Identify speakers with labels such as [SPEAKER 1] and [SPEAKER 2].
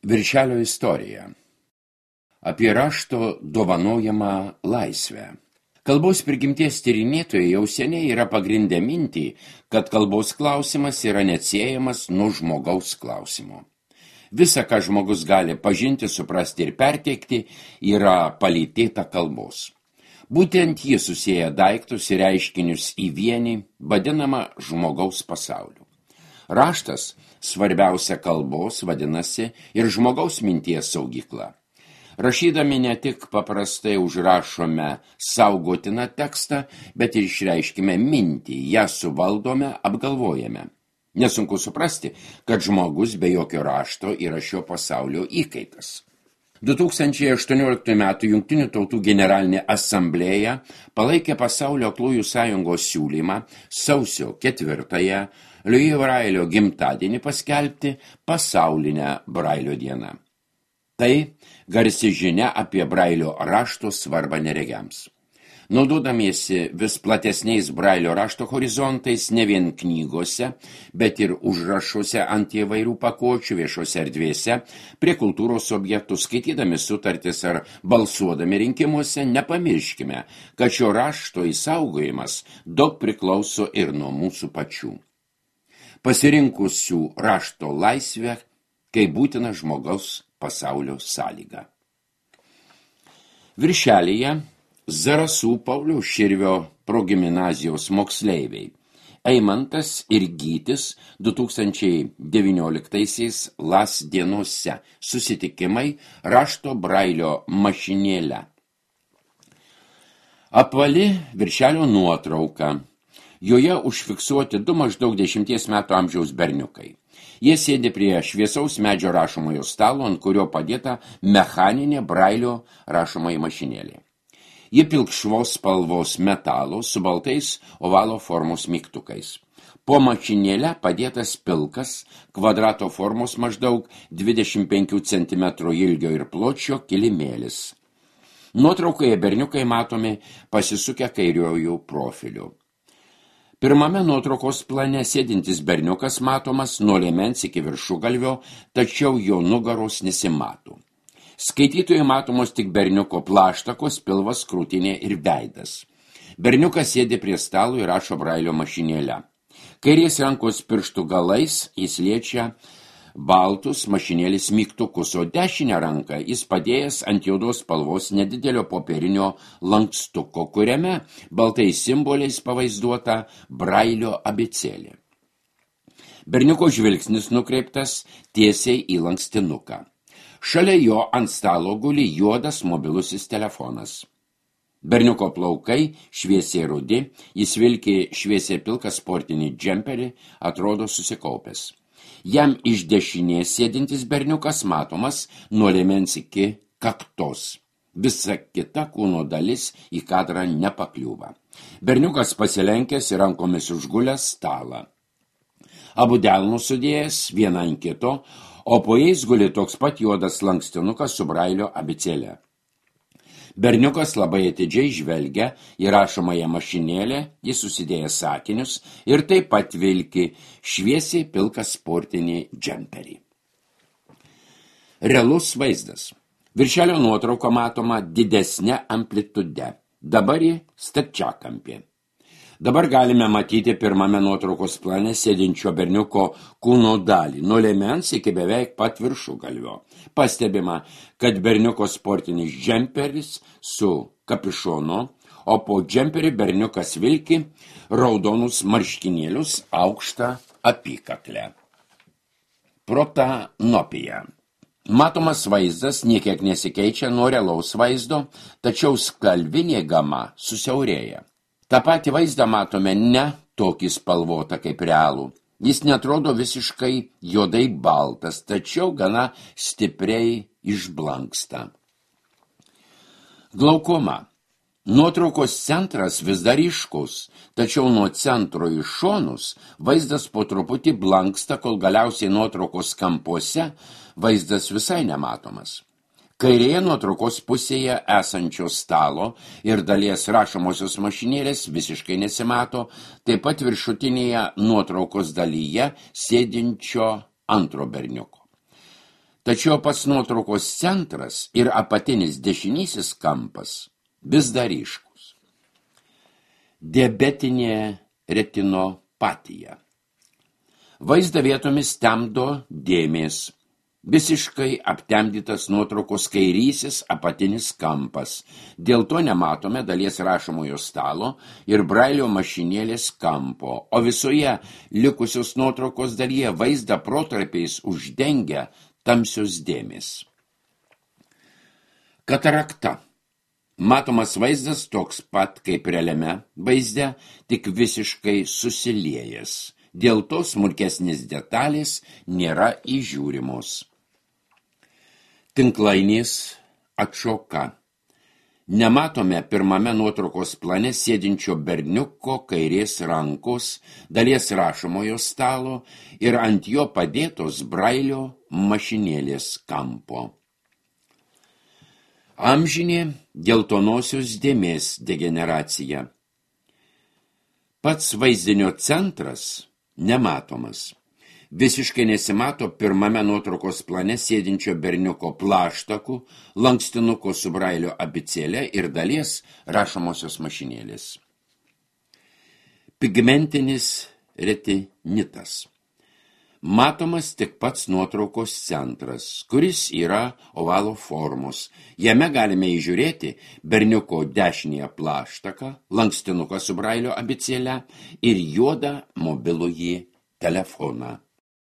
[SPEAKER 1] Viršelio istorija. Apie rašto dovanojamą laisvę. Kalbos prigimties tyrinėtojai jau seniai yra pagrindę mintį, kad kalbos klausimas yra neatsiejamas nuo žmogaus klausimo. Visa, ką žmogus gali pažinti, suprasti ir perteikti, yra palytėta kalbos. Būtent ji susieja daiktus ir reiškinius į vienį, vadinamą žmogaus pasauliu. Raštas, svarbiausia kalbos, vadinasi, ir žmogaus minties saugykla. Rašydami ne tik paprastai užrašome saugotiną tekstą, bet ir išreiškime mintį, ją suvaldome, apgalvojame. Nesunku suprasti, kad žmogus be jokio rašto yra šio pasaulio įkaitas. 2018 m. Jungtinių tautų generalinė asamblėja palaikė Pasaulio aklųjų sąjungos siūlymą sausio 4-ąją Louis Brailio gimtadienį paskelbti pasaulinę Brailio dieną. Tai garsi žinia apie Brailio rašto svarbą neregiams. Naudodamiesi vis platesniais Brailio rašto horizontais ne vien knygose, bet ir užrašuose ant įvairių pakuočių viešose erdvėse, prie kultūros objektų, skaitydami sutartis ar balsuodami rinkimuose, nepamirškime, kad šio rašto išsaugojimas daug priklauso ir nuo mūsų pačių. Pasirinkusių rašto laisvę, kai būtina žmogaus pasaulio sąlyga. Viršelyje Zarasų Pauliaus Širvio progimnazijos moksleiviai Eimantas ir Gytis 2019 LAS dienose susitikimai rašto Brailio mašinėle. Apvali viršelio nuotrauka. Joje užfiksuoti du maždaug 10 metų amžiaus berniukai. Jie sėdi prie šviesaus medžio rašomojo stalo, ant kurio padėta mechaninė Brailio rašomoji mašinėlė. Ji pilkšvos spalvos metalo su baltais ovalo formos mygtukais. Po mašinėle padėtas pilkas, kvadrato formos maždaug 25 cm ilgio ir pločio kilimėlis. Nuotraukoje berniukai matomi pasisukę kairiojų profiliu. Pirmame nuotraukos plane sėdintis berniukas matomas nuo liemens iki viršugalvio, tačiau jo nugaros nesimato. Skaitytojai matomos tik berniuko plaštakos, pilvas, krūtinė ir veidas. Berniukas sėdi prie stalo ir rašo Brailio mašinėle. Kairės rankos pirštų galais jis liečia baltus mašinėlės mygtukus, o dešinę ranką jis padėjęs ant juodos spalvos nedidelio popierinio lankstuko, kuriame baltais simboliais pavaizduota Brailio abėcėlė. Berniuko žvilgsnis nukreiptas tiesiai į lankstinuką. Šalia jo ant stalo guli juodas mobilusis telefonas. Berniuko plaukai šviesiai rudi, jis vilki šviesiai pilką sportinį džemperį, atrodo susikaupęs. Jam iš dešinės sėdintis berniukas matomas nuo liemens iki kaktos. Visa kita kūno dalis į kadrą nepakliūva. Berniukas pasilenkęs ir rankomis užgulęs stalą. Abu delnus sudėjęs vieną ant kito, o po jais guli toks pat juodas lankstinukas su Brailio abėcėle. Berniukas labai atidžiai žvelgia į rašomąją mašinėlę, jis susidėjęs sakinius ir taip pat vilki šviesiai pilką sportinį džemperį. Realus vaizdas. Viršelio nuotrauka matoma didesnė amplitude. Dabar ji stačiakampė. Dabar galime matyti pirmame nuotraukos plane sėdinčio berniuko kūno dalį, nuo liemens iki beveik pat viršugalvio. Pastebima, kad berniuko sportinis džemperis su kapišonu, o po džemperį berniukas vilki raudonus marškinėlius aukštą apykaklę. Protanopija. Matomas vaizdas niekiek nesikeičia nuo realaus vaizdo, tačiau spalvinė gama susiaurėja. Ta patį vaizdą matome ne tokį spalvotą kaip realų. Jis netrodo visiškai juodai baltas, tačiau gana stipriai išblanksta. Glaukoma. Nuotraukos centras vis dar ryškus, tačiau nuo centro į šonus vaizdas po truputį blanksta, kol galiausiai nuotraukos kampuose vaizdas visai nematomas. Kairėje nuotraukos pusėje esančio stalo ir dalies rašomosios mašinėlės visiškai nesimato, taip pat viršutinėje nuotraukos dalyje sėdinčio antro berniuko. Tačiau pats nuotraukos centras ir apatinis dešinysis kampas vis dar ryškus. Diabetinė retinopatija. Vaizdą vietomis temdo dėmės. Visiškai aptemdytas nuotraukos kairysis apatinis kampas. Dėl to nematome dalies rašomojo stalo ir brailio mašinėlės kampo, o visoje likusios nuotraukos dalyje vaizdą protarpiais uždengia tamsios dėmės. Katarakta. Matomas vaizdas toks pat kaip realiame vaizde, tik visiškai susiliejęs. Dėl to smulkesnės detalės nėra įžiūrimos. Tinklainės atšoka. Nematome pirmame nuotraukos plane sėdinčio berniuko kairės rankos, dalies rašomojo stalo ir ant jo padėtos brailio mašinėlės kampo. Amžinė geltonosios dėmės degeneracija. Pats vaizdinio centras nematomas. Visiškai nesimato pirmame nuotraukos plane sėdinčio berniuko plaštakų, lankstinuko su brailio abėcėle ir dalies rašomosios mašinėlės. Pigmentinis retinitas. Matomas tik pats nuotraukos centras, kuris yra ovalo formos. Jame galime įžiūrėti berniuko dešinėje plaštaką, lankstinuką su brailio abėcėle ir juodą mobilųjį telefoną.